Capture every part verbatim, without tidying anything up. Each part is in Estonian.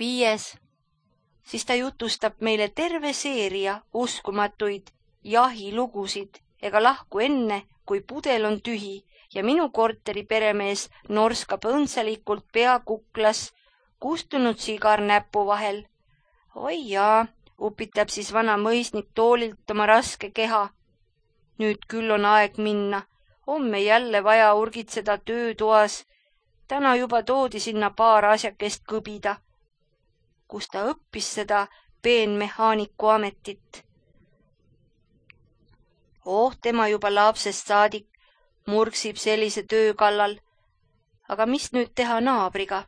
Viies. Siis ta jutustab meile terve seeria uskumatuid jahilugusid ega lahku enne, kui pudel on tühi ja minu korteri peremees norskab õndsalikult pea kuklas kustunud sigar näpu vahel. Oi jaa, upitab siis vana mõisnik toolilt oma raske keha. Nüüd küll on aeg minna, homme jälle vaja urgitseda töötoas. Täna juba toodi sinna paar asjakest kõbida, kus ta õppis seda peenmehaaniku ametit. Oh, tema juba lapsest saadik murksib sellise töö kallal. Aga mis nüüd teha naabriga?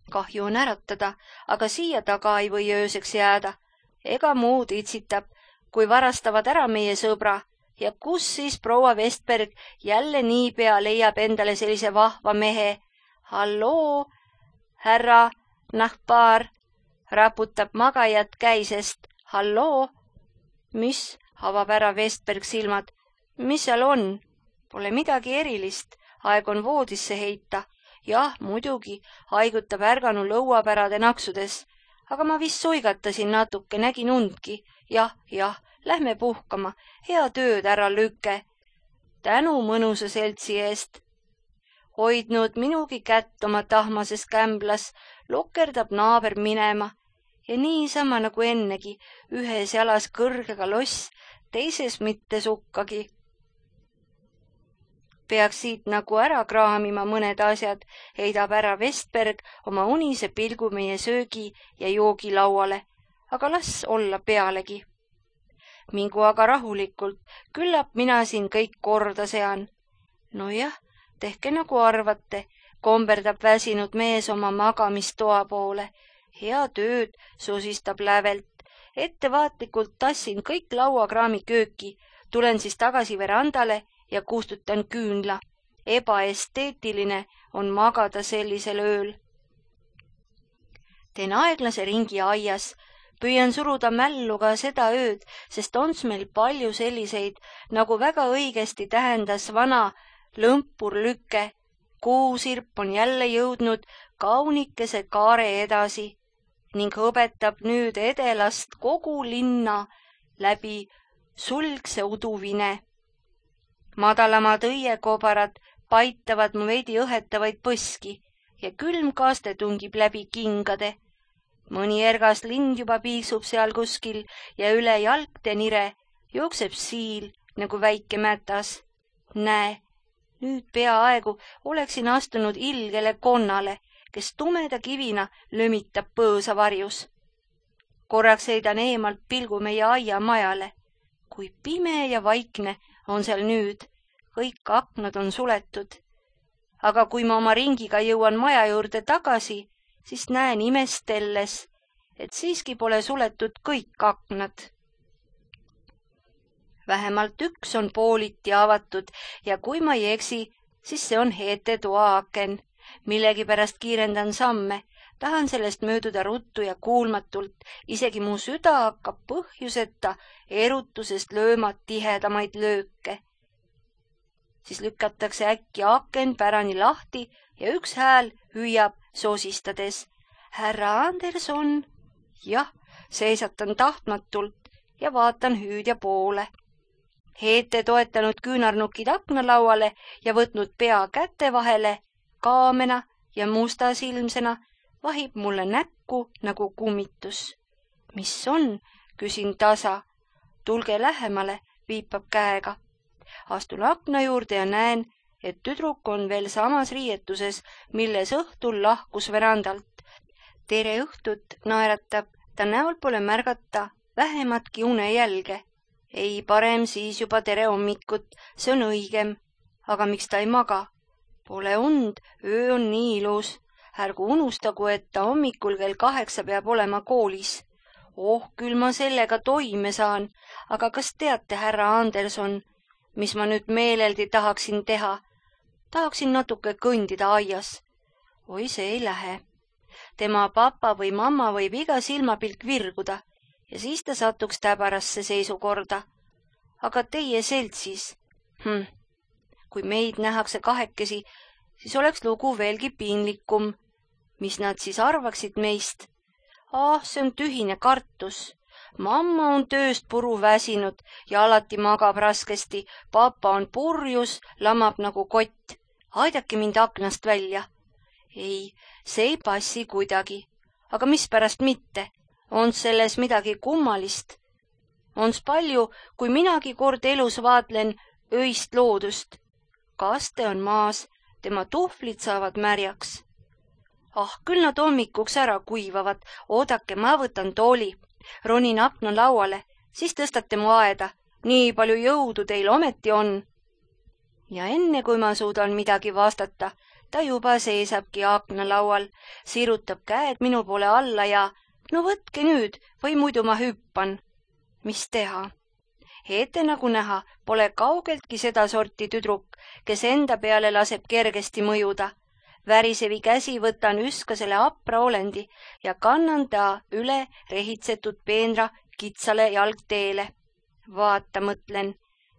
Kahju on äratada, aga siia taga ei või ööseks jääda. Ega muud itsitab, kui varastavad ära meie sõbra. Ja kus siis proua Vestberg jälle niipea leiab endale sellise vahva mehe? Halloo, härra nahkpaar, raputab magajat käisest. Halloo, mis? Avab ära Vestberg silmad. Mis seal on? Pole midagi erilist. Aeg on voodisse heita. Jah, muidugi, haigutab ärganu lõuapärade naksudes. Aga ma vist suigatasin natuke, nägin undki. Jah, jah, lähme puhkama. Hea tööd, ära lükke. Tänu mõnusa seltsi eest. Hoidnud minugi kätt oma tahmases kämblas, lokerdab naaber minema. Ja niisama nagu ennegi, ühes jalas kõrgega loss, teises mitte sukkagi. Peaks siit nagu ära kraamima mõned asjad, heidab ära Vestberg oma unise pilgu meie söögi ja joogi lauale, aga las olla pealegi. Mingu aga rahulikult, küllap mina siin kõik korda sean. Nojah, tehke nagu arvate, komberdab väsinud mees oma magamistoa poole. Hea tööd, sosistab lävelt. Ettevaatlikult tassin kõik lauakraami kööki, tulen siis tagasi verandale ja kustutan küünla. Ebaesteetiline on magada sellisel ööl. Teen aeglase ringi aias, püüan suruda mällu ka seda ööd, sest ons meil palju selliseid, nagu väga õigesti tähendas vana lõmpurlüke. Kuusirp on jälle jõudnud kaunikese kaare edasi ning õpetab nüüd edelast kogu linna läbi sulgse uduvine. Madalamad õiekobarad paitavad mu veidi õhetavaid põski ja külm kaaste tungib läbi kingade. Mõni ergas lind juba piiksub seal kuskil ja üle jalgte nire jookseb siil nagu väike mätas. Näe, nüüd peaaegu oleksin astunud ilgele konnale, kes tumeda kivina lömitab põõsa varjus. Korraks heidan eemalt pilgu meie aiamajale. Kui pime ja vaikne on seal nüüd, kõik aknad on suletud. Aga kui ma oma ringiga jõuan maja juurde tagasi, siis näen imestelles, et siiski pole suletud kõik aknad. Vähemalt üks on pooliti avatud ja kui ma ei eksi, siis see on Heete toaaken. Millegi pärast kiirendan samme, tahan sellest mööduda ruttu ja kuulmatult, isegi mu süda hakkab põhjuseta erutusest lööma tihedamaid lööke. Siis lükatakse äkki aken pärani lahti ja üks hääl hüüab sosistades. Härra Anderson? Jah, seisatan tahtmatult ja vaatan hüüdja poole. Heete toetanud küünarnukid aknalauale ja võtnud pea käte vahele, kaamena ja mustasilmsena vahib mulle näkku nagu kummitus. Mis on? Küsin tasa. Tulge lähemale, viipab käega. Astun akna juurde ja näen, et tüdruk on veel samas riietuses, milles õhtul lahkus verandalt. Tere õhtut, naeratab, ta näol pole märgata vähematki unejälge. Ei, parem siis juba tere hommikut, see on õigem. Aga miks ta ei maga? Pole und, öö on nii ilus. Ärgu unustagu, et ta hommikul kell kaheksa peab olema koolis. Oh, küll ma sellega toime saan, aga kas teate, härra Anderson, mis ma nüüd meeleldi tahaksin teha? Tahaksin natuke kõndida aias. Oi, see ei lähe. Tema papa või mamma võib iga silmapilk virguda ja siis ta satuks täbarasse seisukorda. Aga teie seltsis? Hm. Kui meid nähakse kahekesi, siis oleks lugu veelgi piinlikum. Mis nad siis arvaksid meist? Ah, see on tühine kartus. Mamma on tööst puru väsinud ja alati magab raskesti. Papa on purjus, lamab nagu kott. Aidake mind aknast välja. Ei, see ei passi kuidagi. Aga mispärast mitte? On selles midagi kummalist? Ons palju, kui minagi kord elus vaatlen öist loodust. Kaste on maas, tema tuhvlid saavad märjaks. Ah, küll nad hommikuks ära kuivavad. Oodake, ma võtan tooli. Ronin akna lauale, siis tõstate mu aeda. Nii palju jõudu teil ometi on. Ja enne kui ma suudan midagi vastata, ta juba seisabki akna laual, sirutab käed minu poole alla ja no võtke nüüd või muidu ma hüppan. Mis teha? Heete nagu näha, pole kaugeltki seda sorti tüdruk, kes enda peale laseb kergesti mõjuda. Värisevi käsi võtan üskasele apra olendi ja kannan ta üle rehitsetud peenra kitsale jalgteele. Vaata, mõtlen,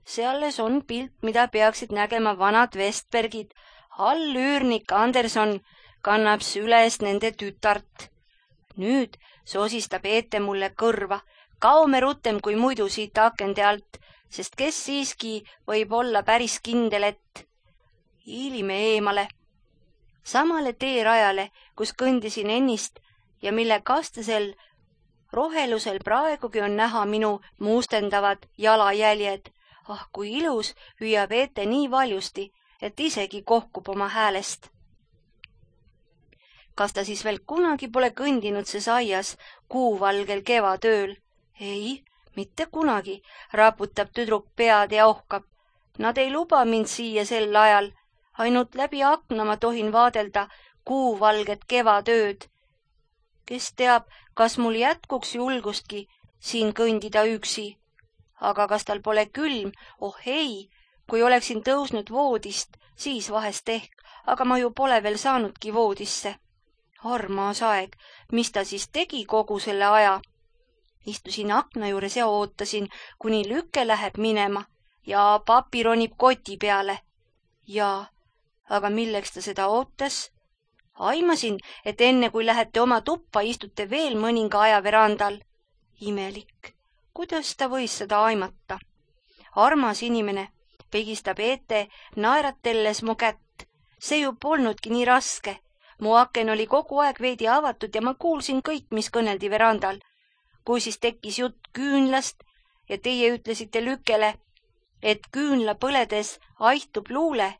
sealles on pilt, mida peaksid nägema vanad Vestbergid. All üürnik Anderson kannab süles nende tütart. Nüüd sosistab Heete mulle kõrva. Kaume rutem kui muidu siit akende alt, sest kes siiski võib olla päris kindel, et hiilime eemale. Samale teerajale, kus kõndisin ennist ja mille kastasel rohelusel praegugi on näha minu muustendavad jalajäljed. Ah, kui ilus hüüab Heete nii valjusti, et isegi kohkub oma häälest. Kas ta siis veel kunagi pole kõndinud ses aias kuuvalgel kevadööl? Ei, mitte kunagi, raputab tüdruk pead ja ohkab. Nad ei luba mind siia sel ajal. Ainult läbi akna ma tohin vaadelda kuuvalget kevadööd. Kes teab, kas mul jätkuks julgustki siin kõndida üksi. Aga kas tal pole külm? Oh ei, kui oleksin tõusnud voodist, siis vahest ehk, aga ma ju pole veel saanudki voodisse. Armas aeg, mis ta siis tegi kogu selle aja? Istusin akna juures ja ootasin, kuni lüke läheb minema ja papi ronib koti peale. Ja, aga milleks ta seda ootas? Aimasin, et enne kui lähete oma tuppa, istute veel mõninga aja verandal. Imelik, kuidas ta võis seda aimata? Armas inimene, pigistab Heete naeratelles mu kätt. See ju polnudki nii raske. Mu aken oli kogu aeg veidi avatud ja ma kuulsin kõik, mis kõneldi verandal. Kui siis tekkis jutt küünlast ja teie ütlesite lükele, et küünla põledes aihtub luule,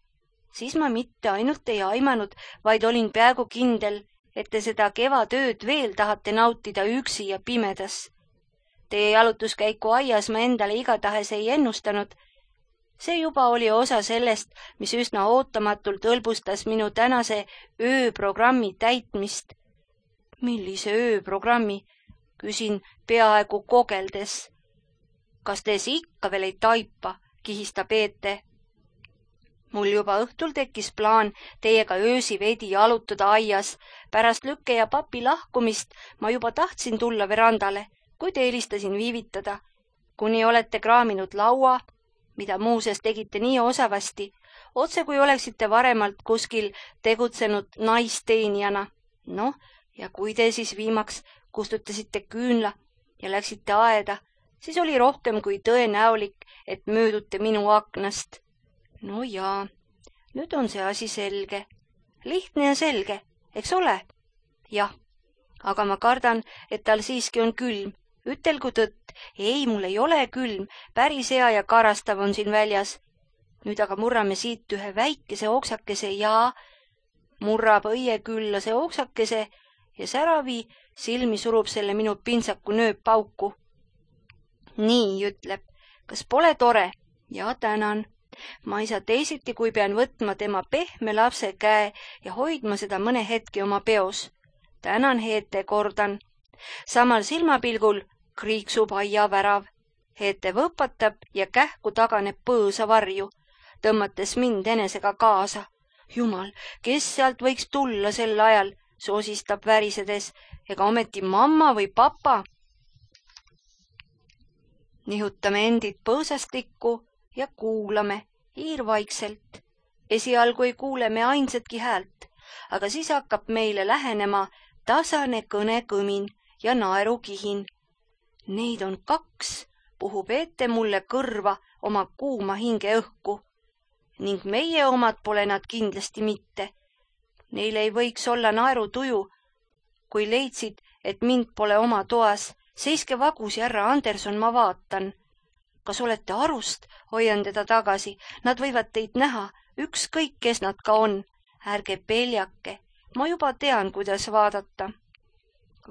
siis ma mitte ainult ei aimanud, vaid olin peaaegu kindel, et te seda kevadööd veel tahate nautida üksi ja pimedas. Teie jalutuskäiku aias ma endale igatahes ei ennustanud. See juba oli osa sellest, mis üsna ootamatult hõlbustas minu tänase ööprogrammi täitmist. Millise ööprogrammi? Küsin peaaegu kogeldes. Kas te ikka veel ei taipa, kihistab Heete. Mul juba õhtul tekkis plaan teiega öösi veidi jalutada aias. Pärast lükke ja papi lahkumist ma juba tahtsin tulla verandale, kuid eelistasin viivitada. Kuni olete kraaminud laua, mida muuseas tegite nii osavasti, otse kui oleksite varemalt kuskil tegutsenud naisteenijana. Noh, ja kui te siis viimaks kustutasite küünla ja läksite aeda, siis oli rohkem kui tõenäolik, et möödute minu aknast. No jaa, nüüd on see asi selge. Lihtne ja selge, eks ole? Jah, aga ma kardan, et tal siiski on külm. Ütelgu tõtt, ei, mul ei ole külm, päris hea ja karastav on siin väljas. Nüüd aga murrame siit ühe väikese oksakese ja murrab õie külla see oksakese ja säravi silmi surub selle minu pintsaku nööp pauku. Nii, ütleb, kas pole tore? Ja tänan. Ma ei saa teisiti, kui pean võtma tema pehme lapse käe ja hoidma seda mõne hetki oma peos. Tänan, Heete, kordan. Samal silmapilgul kriiksub aia värav. Heete võpatab ja kähku taganeb põõsa varju, tõmmates mind enesega kaasa. Jumal, kes sealt võiks tulla sel ajal, sosistab värisedes, ega ometi mamma või papa. Nihutame endid põõsastikku ja kuulame hiirvaikselt. Esialgu ei kuule me ainsatki häält. aga siis hakkab meile lähenema tasane kõnekõmin ja naerukihin. Neid on kaks, puhub ette mulle kõrva oma kuuma hinge õhku. Ning meie omad pole nad kindlasti mitte. Neil ei võiks olla naerutuju, kui leidsid, et mind pole oma toas. Seiske vagusi, härra Anderson, ma vaatan. Kas olete arust? Hoian teda tagasi. Nad võivad teid näha, ükskõik, kes nad ka on. Ärge peljake, ma juba tean, kuidas vaadata.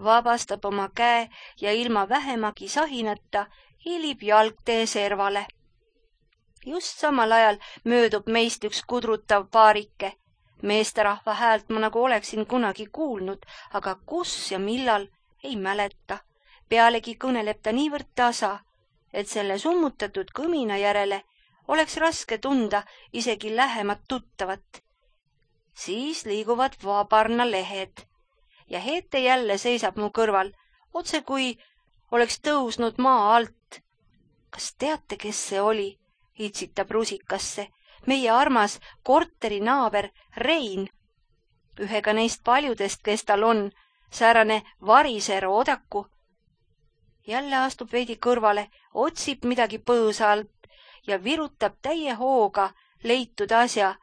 Vabastab oma käe ja ilma vähemagi sahinata hilib jalgtee servale. Just samal ajal möödub meist üks kudrutav paarike. Meesterahva häält ma nagu oleksin kunagi kuulnud, aga kus ja millal ei mäleta. Pealegi kõneleb ta niivõrd tasa, et selle summutatud kõmina järele oleks raske tunda isegi lähemat tuttavat. Siis liiguvad vabarna lehed ja Hete jälle seisab mu kõrval, otse kui oleks tõusnud maa alt. Kas teate, kes see oli? Itsitab rusikasse. Meie armas korteri naaber Rein. Ühega neist paljudest, kes tal on, säärane variser oodaku. Jälle astub veidi kõrvale, otsib midagi põõsa alt ja virutab täie hooga leitud asja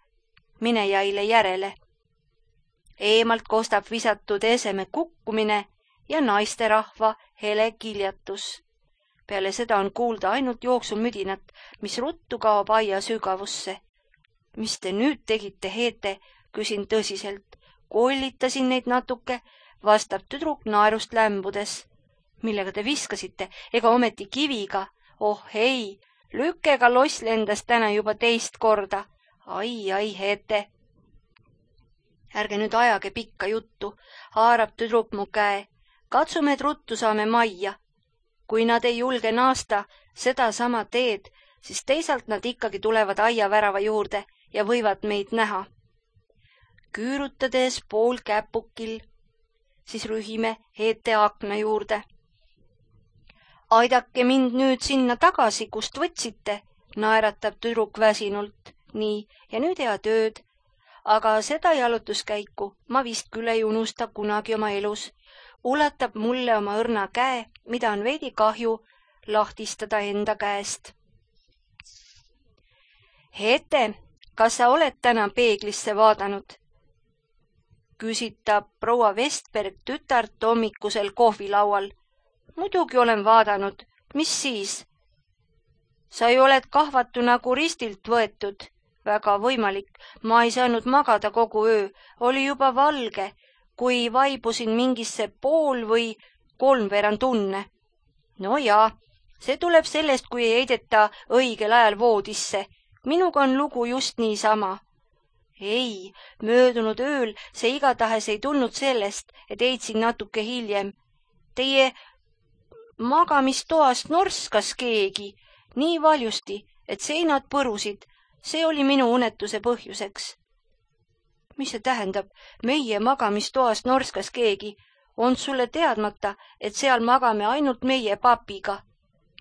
minejaile järele. Eemalt kostab visatud eseme kukkumine ja naisterahva hele kiljatus. Peale seda on kuulda ainult jooksumüdinat, mis ruttu kaob aia sügavusse. Mis te nüüd tegite, Hete? Küsin tõsiselt. Kollitasin neid natuke, vastab tüdruk naerust lämbudes. Millega te viskasite? Ega ometi kiviga? Oh ei, lükkega loss lendas täna juba teist korda. Ai, ai, Hete. Ärge nüüd ajage pikka juttu, haarab tüdruk mu käe. Katsume, et ruttu saame majja. Kui nad ei julge naasta seda sama teed, siis teisalt nad ikkagi tulevad aia värava juurde ja võivad meid näha. Küürutades pool käpukil, siis rühime Hete akna juurde. Aidake mind nüüd sinna tagasi, kust võtsite, naeratab tüdruk väsinult. Nii, ja nüüd head ööd. Aga seda jalutuskäiku ma vist küll ei unusta kunagi oma elus. Ulatab mulle oma õrna käe, mida on veidi kahju lahtistada enda käest. Hete, kas sa oled täna peeglisse vaadanud? Küsitab proua Vestberg tütart hommikusel kohvilaual. Muidugi olen vaadanud. Mis siis? Sa ju oled kahvatu nagu ristilt võetud. Väga võimalik. Ma ei saanud magada kogu öö. Oli juba valge, kui vaibusin mingisse pool või kolmveerand tunne. No jaa, see tuleb sellest, kui ei heideta õigel ajal voodisse. Minuga on lugu just niisama. Ei, möödunud ööl see igatahes ei tulnud sellest, et heitsin natuke hiljem. Teie magamistoast norskas keegi nii valjusti, et seinad põrusid. See oli minu unetuse põhjuseks. Mis see tähendab? Meie magamistoast norskas keegi. On sulle teadmata, et seal magame ainult meie papiga?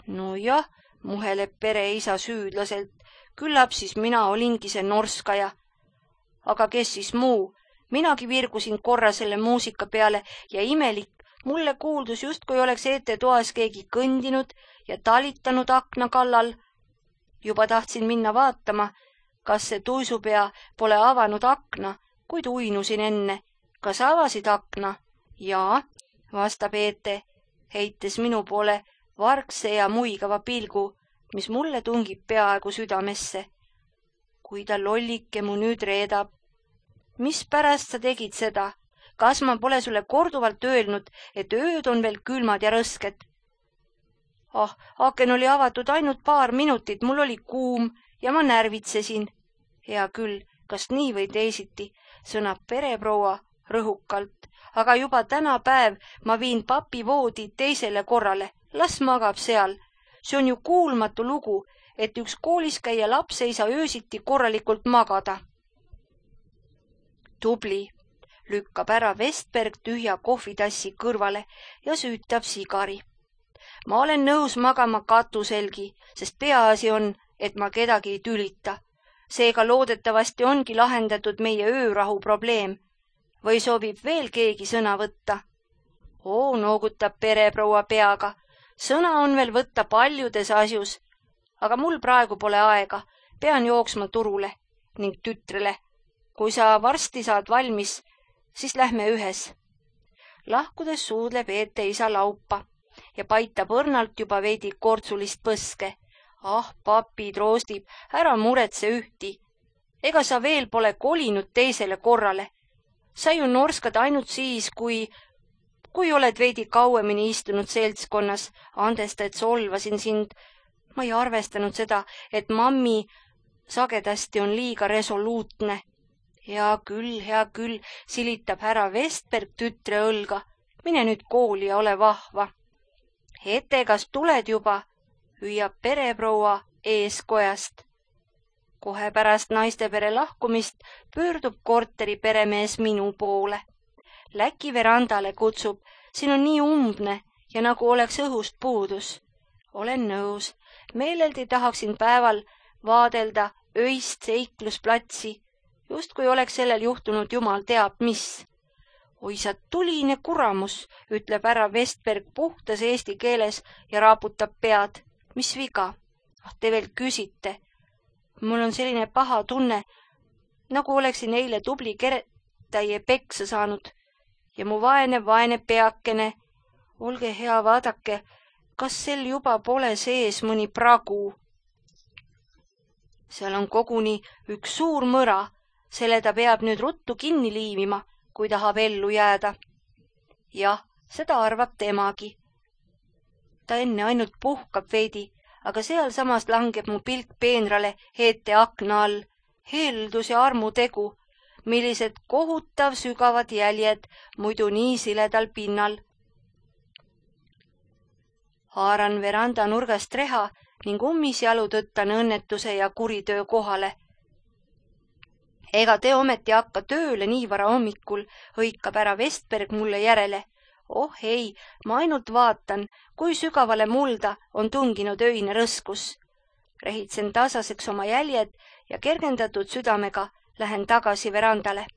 No jah, muheleb pereisa süüdlaselt. Küllap siis mina olingi see norskaja. Aga kes siis muu? Minagi virgusin korra selle muusika peale ja imelik, mulle kuuldus justkui oleks Hete toas keegi kõndinud ja talitanud akna kallal. Juba tahtsin minna vaatama, kas see tuisupea pole avanud akna, kuid uinusin enne. Kas avasid akna? Jaa, vastab Hete, heites minu poole vargse ja muigava pilgu, mis mulle tungib peaaegu südamesse. Kui ta lollike mu nüüd reedab. Mis pärast sa tegid seda? Kas ma pole sulle korduvalt öelnud, et ööd on veel külmad ja rõsked? Ah, aken oli avatud ainult paar minutit, mul oli kuum ja ma närvitsesin. Hea küll, kas nii või teisiti, sõnab pereproua rõhukalt, aga juba täna päev ma viin papi voodi teisele korrale, las magab seal. See on ju kuulmatu lugu, et üks koolis käia laps ei saa öösiti korralikult magada. Tubli, lükkab ära Vestberg tühja kohvitassi kõrvale ja süütab sigari. Ma olen nõus magama katuselgi, sest peaasi on, et ma kedagi ei tülita. Seega loodetavasti ongi lahendatud meie öörahu probleem. või soovib veel keegi sõna võtta? Oo, noogutab pereproua peaga. Sõna on veel võtta paljudes asjus, aga mul praegu pole aega, pean jooksma turule ning tütrele. Kui sa varsti saad valmis, siis lähme ühes. Lahkudes suudleb Eete isa laupa ja paitab õrnalt juba veidi kortsulist põske. Ah, papi troostib, ära muretse ühti. Ega sa veel pole kolinud teisele korrale. Sa ju norskad ainult siis, kui, kui oled veidi kauemini istunud seltskonnas. Andesta, et solvasin sind. Ma ei arvestanud seda, et mammi sagedasti on liiga resoluutne. Hea küll, hea küll, silitab härra Vestberg tütre õlga. Mine nüüd kooli ja ole vahva. Ete, kas tuled juba? Hüüab pereproua eeskojast. Kohe pärast naistepere lahkumist pöördub korteri peremees minu poole. Läki verandale kutsub, siin on nii umbne ja nagu oleks õhust puudus. Olen nõus, meeleldi tahaksin päeval vaadelda öist seiklusplatsi, just kui oleks sellel juhtunud jumal teab mis. Oi sa tuline kuramus, ütleb härra Vestberg puhtas eesti keeles ja raaputab pead. Mis viga? Ah, te veel küsite. Mul on selline paha tunne, nagu oleksin eile tubli keretäie peksa saanud. Ja mu vaene, vaene peakene. Olge hea, vaadake, kas sel juba pole sees mõni pragu? Seal on koguni üks suur mõra, selle ta peab nüüd ruttu kinni liimima, kui tahab ellu jääda. Jah, seda arvab temagi. Ta enne ainult puhkab veidi, aga sealsamas langeb mu pilk peenrale Eete akna all. Heldus ja armutegu, millised kohutav sügavad jäljed muidu nii siledal pinnal. Haaran veranda nurgast reha ning ummisjalu tõttan õnnetuse ja kuritöö kohale. Ega te ometi hakka tööle nii vara hommikul, hõikab ära Vestberg mulle järele. Oh ei, ma ainult vaatan, kui sügavale mulda on tunginud öine rõskus. Rehitsen tasaseks oma jäljed ja kergendatud südamega lähen tagasi verandale.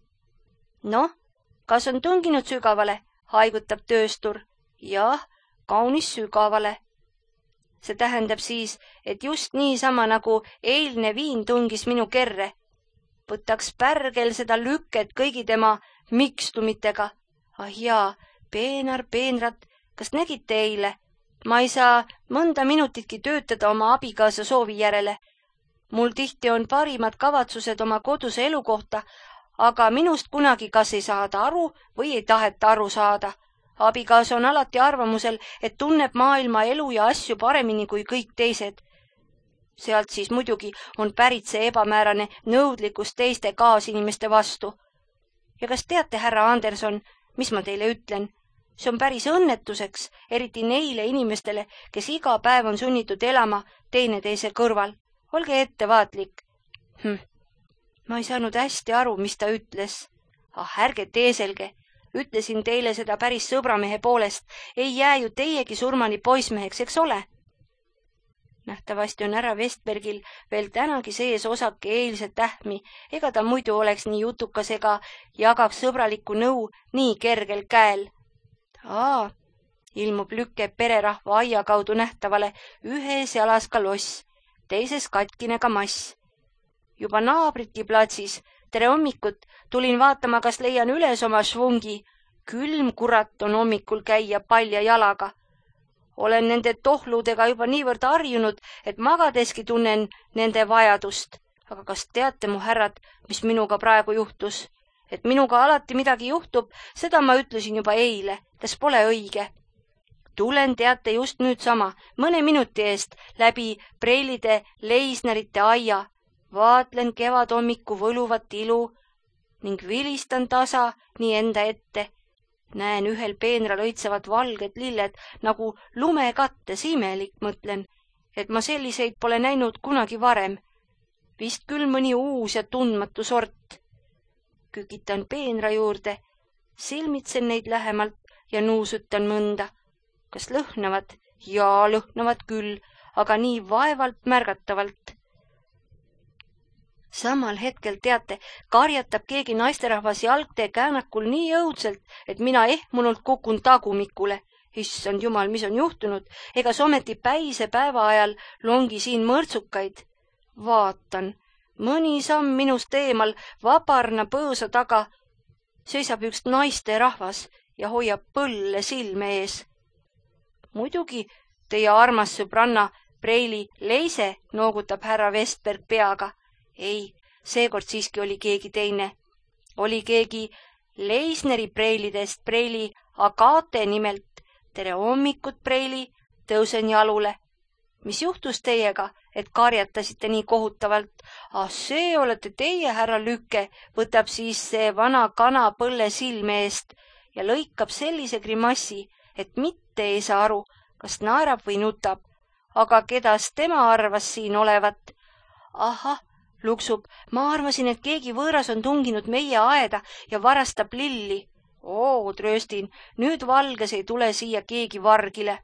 Noh, kas on tunginud sügavale, haigutab tööstur. Jah, kaunis sügavale. See tähendab siis, et just niisama nagu eilne viin tungis minu kerre. Võtaks pärgel seda lüket kõigi tema mikstumitega. Ah jaa, peenar, peenrat, kas nägite eile? Ma ei saa mõnda minutitki töötada oma abikaasa soovi järele. Mul tihti on parimad kavatsused oma koduse elu kohta, aga minust kunagi kas ei saada aru või ei taheta aru saada. Abikaasa on alati arvamusel, et tunneb maailma elu ja asju paremini kui kõik teised. Sealt siis muidugi on pärit see ebamäärane nõudlikkus teiste kaasinimeste vastu. Ja kas teate, härra Anderson, mis ma teile ütlen? See on päris õnnetuseks, eriti neile inimestele, kes iga päev on sunnitud elama teineteise kõrval. Olge ettevaatlik. Hm. Ma ei saanud hästi aru, mis ta ütles. Ah, ärge teeselge. Ütlesin teile seda päris sõbramehe poolest. Ei jää ju teiegi surmani poismeheks, eks ole? Nähtavasti on härra Vestbergil veel tänagi sees osake eilset tähmi, ega ta muidu oleks nii jutukas ega jagaks sõbralikku nõu nii kergel käel. Aa, ilmub lükke pererahva aia kaudu nähtavale ühes jalas ka loss, teises katkine ka mass. Juba naabritki platsis, tere hommikut, tulin vaatama, kas leian üles oma švungi. Külm kurat on hommikul käia palja jalaga. Olen nende tohludega juba niivõrd harjunud, et magadeski tunnen nende vajadust. Aga kas teate, mu härrad, mis minuga praegu juhtus? Et minuga alati midagi juhtub, seda ma ütlesin juba eile, kas pole õige. Tulen teate just nüüd sama, mõne minuti eest läbi preilide leisnerite aia. Vaatlen kevadhommiku võluvat ilu ning vilistan tasa nii enda ette. Näen ühel peenral õitsevad valged lilled nagu lumekattes, imelik mõtlen, et ma selliseid pole näinud kunagi varem. Vist küll mõni uus ja tundmatu sort. Kükitan peenra juurde, silmitsen neid lähemalt ja nuusutan mõnda. Kas lõhnavad? Jaa, lõhnavad küll, aga nii vaevalt märgatavalt. Samal hetkel, teate, karjatab keegi naisterahvas jalgtee käänakul nii õudselt, et mina ehmunult kukun tagumikule. Issand jumal, mis on juhtunud? Egas ometi päise päeva ajal longi siin mõrtsukaid. Vaatan, mõni samm minust eemal vabarna põõsa taga seisab üks naisterahvas ja hoiab põlle silme ees. Muidugi teie armas sõbranna Preili Leise, noogutab härra Vestberg peaga. Ei, seekord siiski oli keegi teine. Oli keegi Leisneri Preilidest, Preili Agate nimelt. Tere hommikut, Preili, tõusen jalule. Mis juhtus teiega, et karjatasite nii kohutavalt? Ah, see olete teie, härra Lükke, võtab siis see vana kana põlle silme eest ja lõikab sellise grimassi, et mitte ei saa aru, kas naerab või nutab. Aga kedas tema arvas siin olevat? Ahah, luksub, ma arvasin, et keegi võõras on tunginud meie aeda ja varastab lilli. Oo, trööstin, nüüd valges ei tule siia keegi vargile.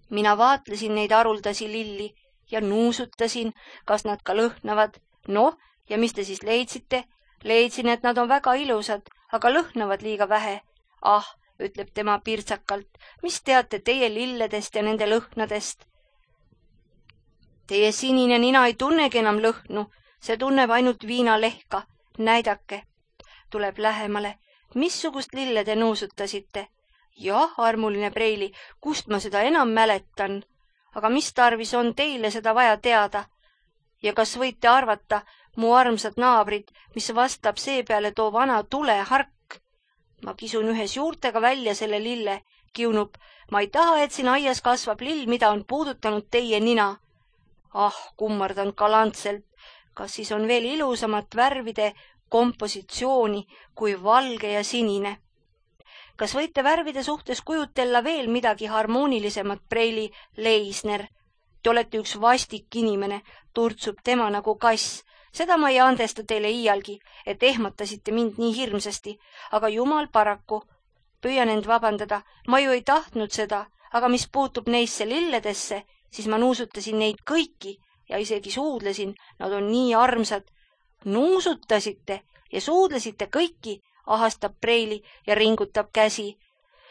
Mina vaatlesin neid haruldasi lilli ja nuusutasin, kas nad ka lõhnavad. Noh, ja mis te siis leidsite? Leidsin, et nad on väga ilusad, aga lõhnavad liiga vähe. Ah, ütleb tema pirtsakalt, mis teate teie lilledest ja nende lõhnadest? Teie sinine nina ei tunnegi enam lõhnu, see tunneb ainult viinalehka. Näidake. Tuleb lähemale. Missugust lille te nuusutasite? Jah, armuline Preili, kust ma seda enam mäletan? Aga mis tarvis on teile seda vaja teada? Ja kas võite arvata, mu armsad naabrid, mis vastab seepeale too vana tulehark? Ma kisun ühes juurtega välja selle lille, kiunub. Ma ei taha, et siin aias kasvab lill, mida on puudutanud teie nina. Ah, kummardan galantselt. Kas siis on veel ilusamat värvide kompositsiooni kui valge ja sinine? Kas võite värvide suhtes kujutella veel midagi harmoonilisemat, Preili Leisner? Te olete üks vastik inimene, turtsub tema nagu kass. Seda ma ei andesta teile iialgi, et ehmatasite mind nii hirmsasti, aga jumal paraku. Püüan end vabandada, ma ju ei tahtnud seda, aga mis puutub neisse lilledesse, siis ma nuusutasin neid kõiki ja isegi suudlesin, nad on nii armsad. Nuusutasite ja suudlesite kõiki, ahastab Preili ja ringutab käsi.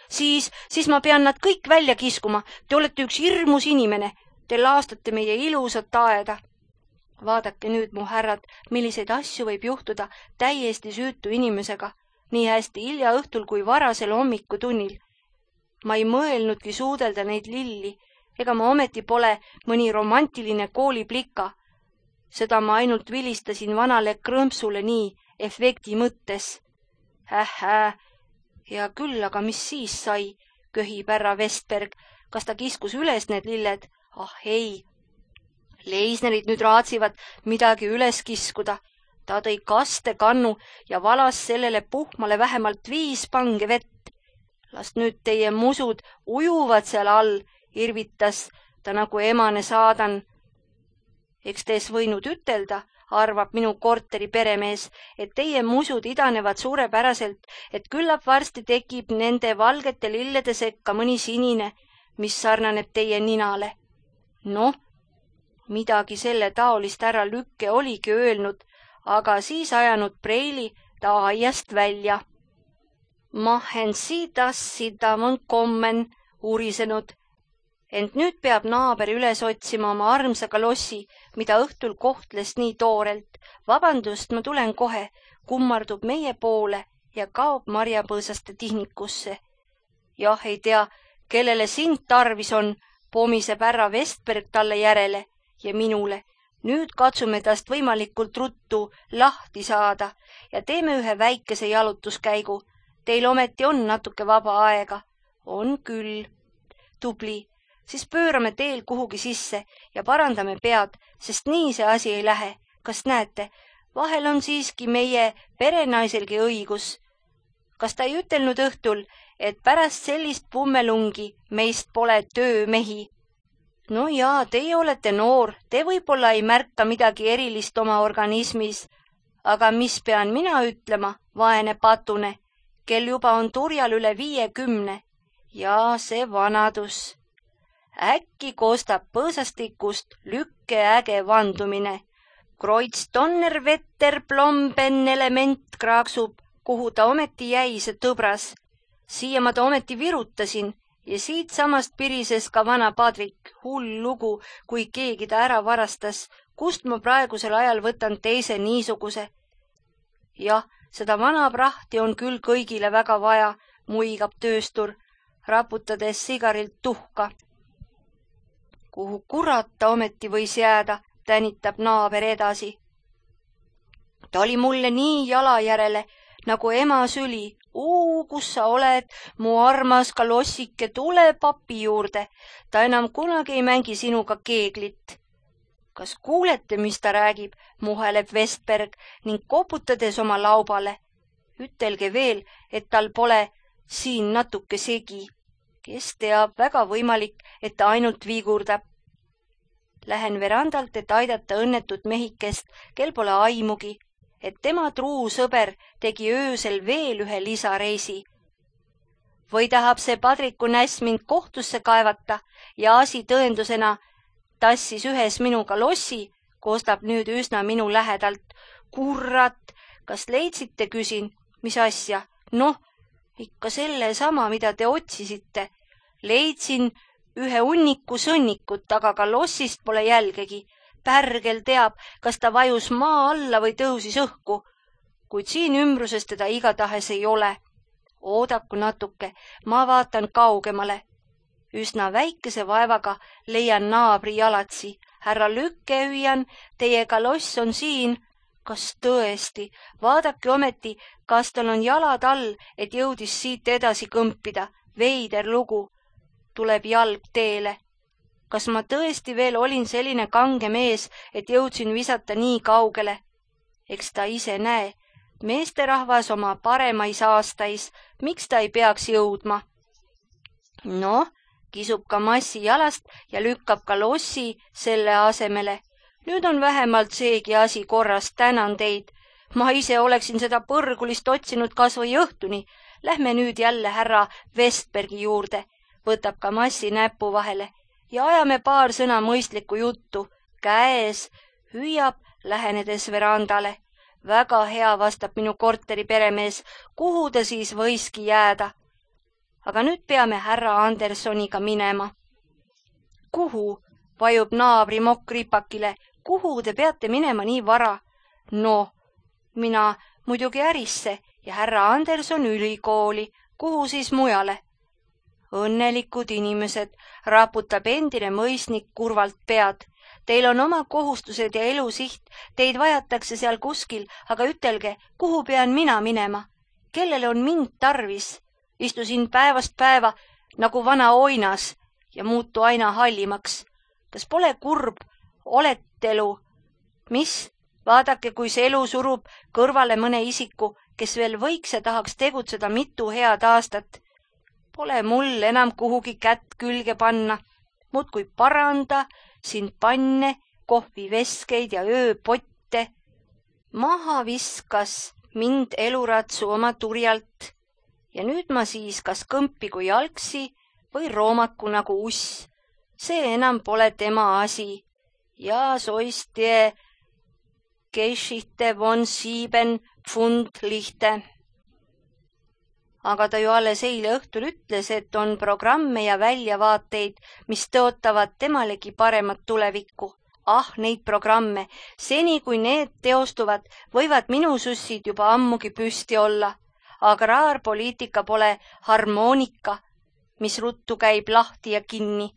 Siis, siis ma pean nad kõik välja kiskuma, te olete üks hirmus inimene, te laastate meie ilusat aeda. Vaadake nüüd, mu härrad, milliseid asju võib juhtuda täiesti süütu inimesega, nii hästi hilja õhtul kui varasel hommikutunnil. Ma ei mõelnudki suudelda neid lilli, ega ma ometi pole mõni romantiline kooliplika. Seda ma ainult vilistasin vanale krõmpsule nii efekti mõttes. Hähhää, ja küll, aga mis siis sai, köhib härra Vestberg, kas ta kiskus üles need lilled? Ah ei, Leisnerid nüüd raatsivad midagi üles kiskuda. Ta tõi kaste kannu ja valas sellele puhmale vähemalt viis pange vett. Las nüüd teie musud ujuvad seal all, irvitas ta nagu emane saadan. Eks tees võinud ütelda, arvab minu korteri peremees, et teie musud idanevad suurepäraselt, et küllap varsti tekib nende valgete lillede sekka mõni sinine, mis sarnaneb teie ninale. Noh, midagi selle taolist härra Lükke oligi öelnud, aga siis ajanud Preili ta aiast välja. Mahen sidas sidamon kommen, urisenud. Ent nüüd peab naaber üles otsima oma armsa kalossi, mida õhtul kohtles nii toorelt. Vabandust, ma tulen kohe, kummardub meie poole ja kaob marjapõõsaste tihnikusse. Jah, ei tea, kellele sind tarvis on, pomiseb härra Vestberg talle järele ja minule. Nüüd katsume tast võimalikult ruttu lahti saada ja teeme ühe väikese jalutuskäigu. Teil ometi on natuke vaba aega. On küll. Tubli. Siis pöörame teel kuhugi sisse ja parandame pead, sest nii see asi ei lähe. Kas näete, vahel on siiski meie perenaiselgi õigus. Kas ta ei ütelnud õhtul, et pärast sellist pummelungi meist pole töömehi? No jaa, teie olete noor, te võib-olla ei märka midagi erilist oma organismis, aga mis pean mina ütlema, vaene patune, kel juba on turjal üle viiekümne. Ja see vanadus. Äkki kostab põõsastikust Lükke äge vandumine. Kreuz Donnerwetter plomben element kraaksub, kuhu ta ometi jäi, see tõbras. Siia ma ta ometi virutasin ja siit samast pirises ka vana Padrik, hull lugu, kui keegi ta ära varastas, kust ma praegusel ajal võtan teise niisuguse. Jah, seda vana prahti on küll kõigile väga vaja, muigab tööstur, raputades sigarilt tuhka. Kuhu kurat ta ometi võis jääda, tänitab naaber edasi. Ta oli mulle nii jala järele, nagu ema süli. Uu, kus sa oled, mu armas kalossike, tule papi juurde. Ta enam kunagi ei mängi sinuga keeglit. Kas kuulete, mis ta räägib, muheleb Vestberg ning koputades oma laubale. Ütelge veel, et tal pole siin natuke segi. Kes teab, väga võimalik, et ta ainult viigurdab. Lähen verandalt, et aidata õnnetut mehikest, kel pole aimugi, et tema truu sõber tegi öösel veel ühe lisareisi. Või tahab see Padriku näss mind kohtusse kaevata ja asi tõendusena tassis ühes minuga lossi, koostab nüüd üsna minu lähedalt. Kurrat, kas leidsite, küsin, mis asja? Noh, ikka selle sama, mida te otsisite. Leidsin ühe hunniku sõnnikut, aga ka lossist pole jälgegi. Pärgel teab, kas ta vajus maa alla või tõusis õhku, kuid siin ümbruses teda igatahes ei ole. Oodaku natuke, ma vaatan kaugemale. Üsna väikese vaevaga leian naabri jalatsi. Härra Lükke, hüüan, teie kaloss on siin. Kas tõesti? Vaadake ometi, kas tal on jalad all, et jõudis siit edasi kõmpida. Veider lugu. Tuleb jalg teele. Kas ma tõesti veel olin selline kange mees, et jõudsin visata nii kaugele? Eks ta ise näe. Meesterahvas oma paremais aastais, miks ta ei peaks jõudma? Noh, kisub ka massi jalast ja lükkab ka lossi selle asemele. Nüüd on vähemalt seegi asi korras, tänan teid. Ma ise oleksin seda põrgulist otsinud kas või õhtuni. Lähme nüüd jälle härra Vestbergi juurde. Võtab ka massi näpu vahele ja ajame paar sõna mõistlikku juttu. Käes hüüab, lähenedes verandale. Väga hea, vastab minu korteri peremees. Kuhu ta siis võiski jääda? Aga nüüd peame härra Andersoniga minema. Kuhu? Vajub naabri mokkripakile. Kuhu te peate minema nii vara? No, mina muidugi ärisse ja härra Anderson ülikooli. Kuhu siis mujale? Õnnelikud inimesed, raputab endine mõisnik kurvalt pead. Teil on oma kohustused ja elusiht, teid vajatakse seal kuskil, aga ütelge, kuhu pean mina minema? Kellele on mind tarvis? Istusin päevast päeva nagu vana oinas ja muutu aina hallimaks. Kas pole kurb? Olete elu? Mis? Vaadake, kui see elu surub kõrvale mõne isiku, kes veel võiks ja tahaks tegutseda mitu head aastat. Pole mul enam kuhugi kätt külge panna. Muudkui paranda, siin panne, kohviveskeid ja ööpotte. Maha viskas mind eluratsu oma turjalt. Ja nüüd ma siis kas kõmpigu jalgsi või roomaku nagu uss. See enam pole tema asi. Ja soist je Geschichte von sieben Pfund lihte. Aga ta ju alles eile õhtul ütles, et on programme ja väljavaateid, mis tõotavad temalegi paremat tulevikku. Ah, neid programme. Seni, kui need teostuvad, võivad minu sussid juba ammugi püsti olla. Agraarpoliitika pole harmoonika, mis ruttu käib lahti ja kinni.